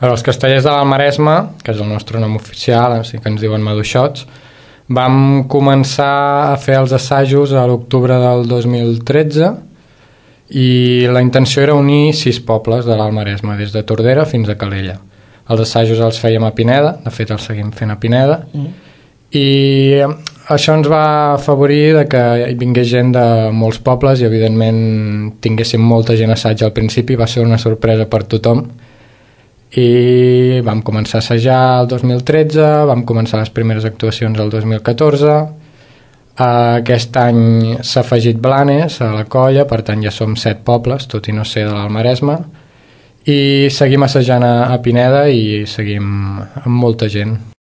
Els Castellers de l'Alt Maresme, que és el nostre nom oficial, així que ens diuen Maduixots, vam començar a fer els assajos a l'octubre del 2013 i la intenció era unir 6 pobles de l'Alt Maresme, des de Tordera fins a Calella. Els assajos els fèiem a Pineda, de fet els seguim fent a Pineda, i això ens va afavorir de que hi vingués gent de molts pobles i evidentment tinguéssim molta gent a assaig al principi, va ser una sorpresa per tothom, i vam començar a assajar el 2013, vam començar les primeres actuacions el 2014, aquest any s'ha afegit Blanes a la colla, per tant ja som 7 pobles, tot i no ser de l'Alt Maresme, i seguim assajant a Pineda i seguim amb molta gent.